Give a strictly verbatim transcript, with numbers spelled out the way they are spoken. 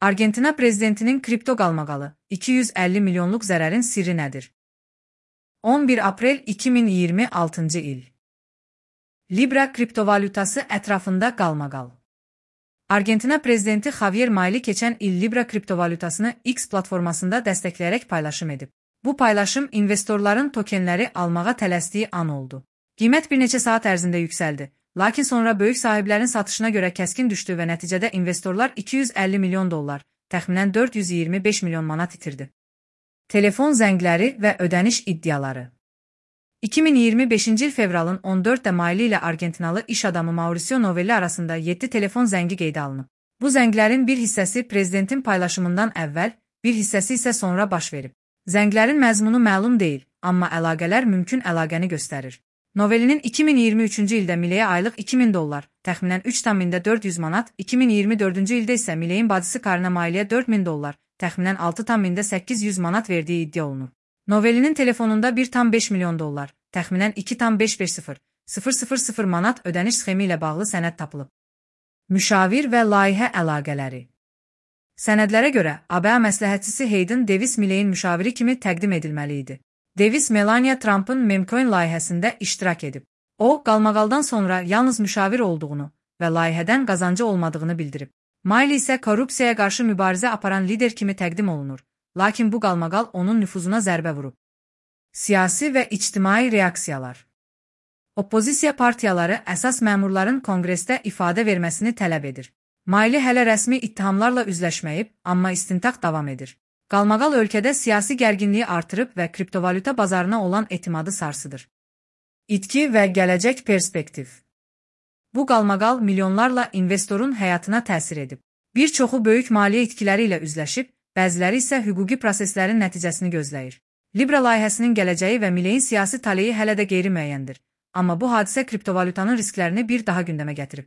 Argentina prezidentinin kripto qalmaqalı, iki yüz əlli milyonluq zərərin sirri nədir? on bir aprel iki min iyirmi altıncı il. Libra kriptovalyutası ətrafında qalmaqal. Argentina prezidenti Javier Milei keçən il Libra kriptovalyutasını X platformasında dəstəkləyərək paylaşım edib. Bu paylaşım investorların tokenləri almağa tələsdiyi an oldu. Qiymət bir neçə saat ərzində yüksəldi, lakin sonra böyük sahiblərin satışına görə kəskin düşdü və nəticədə investorlar iki yüz əlli milyon dollar, təxminən dörd yüz iyirmi beş milyon manat itirdi. Telefon zəngləri və ödəniş iddiaları. iki min iyirmi beşinci il fevralın on dördündə Milei ilə Argentinalı iş adamı Mauricio Novelli arasında yeddi telefon zəngi qeydə alınıb. Bu zənglərin bir hissəsi prezidentin paylaşımından əvvəl, bir hissəsi isə sonra baş verib. Zənglərin məzmunu məlum deyil, amma əlaqələr mümkün əlaqəni göstərir. Novellinin iki min iyirmi üçüncü ildə Mileiyə aylıq iki min dollar, təxminən üç min dörd yüz manat, iki min iyirmi dördüncü ildə isə Mileiyin bacısı Karina Maileyə dörd min dollar, təxminən altı min səkkiz yüz manat verdiyi iddia olunur. Novellinin telefonunda bir tam beş milyon dollar, təxminən iki tam beş yüz min manat ödəniş sxemi ilə bağlı sənəd tapılıb. Müşavir və layihə əlaqələri. Sənədlərə görə, A B A məsləhətçisi Hayden Davis Mileiyin müşaviri kimi təqdim edilməli idi. Davis Melania Trump'ın Memcoin layihəsində iştirak edib. O, qalmaqaldan sonra yalnız müşavir olduğunu və layihədən qazancı olmadığını bildirib. Milei isə korrupsiyaya qarşı mübarizə aparan lider kimi təqdim olunur, lakin bu qalmaqal onun nüfuzuna zərbə vurub. Siyasi və ictimai reaksiyalar. Oppozisiya partiyaları əsas məmurların konqresdə ifadə verməsini tələb edir. Milei hələ rəsmi ittihamlarla üzləşməyib, amma istintaq davam edir. Qalmaqal ölkədə siyasi gərginliyi artırıb və kriptovalyuta bazarına olan etimadı sarsıdır. İtki və gələcək perspektiv. Bu qalmaqal milyonlarla investorun həyatına təsir edib. Bir çoxu böyük maliyyə itkiləri ilə üzləşib, bəziləri isə hüquqi proseslərin nəticəsini gözləyir. Libra layihəsinin gələcəyi və Mileiyin siyasi taleyi hələ də qeyri-müəyyəndir. Amma bu hadisə kriptovalyutanın risklərini bir daha gündəmə gətirib.